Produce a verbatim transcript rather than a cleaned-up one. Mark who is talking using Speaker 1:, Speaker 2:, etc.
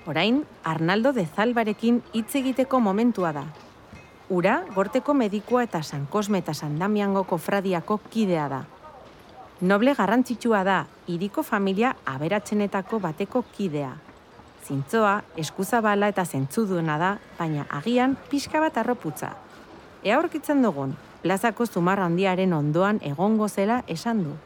Speaker 1: Orain, Arnaldo de Zalbarekin hitz egiteko momentua da. Ura, Gorteko medikua eta San Kosme eta San Damiango kofradiako kidea da. Noble garrantzitsua da, hiriko familia aberatsenetako bateko kidea. Zintzoa, eskuzabala eta zentzuduena da, baina agian pixka bat arroputza. Ea aurkitzen dugun, plazako zumarra handiaren ondoan egongo zela esan du.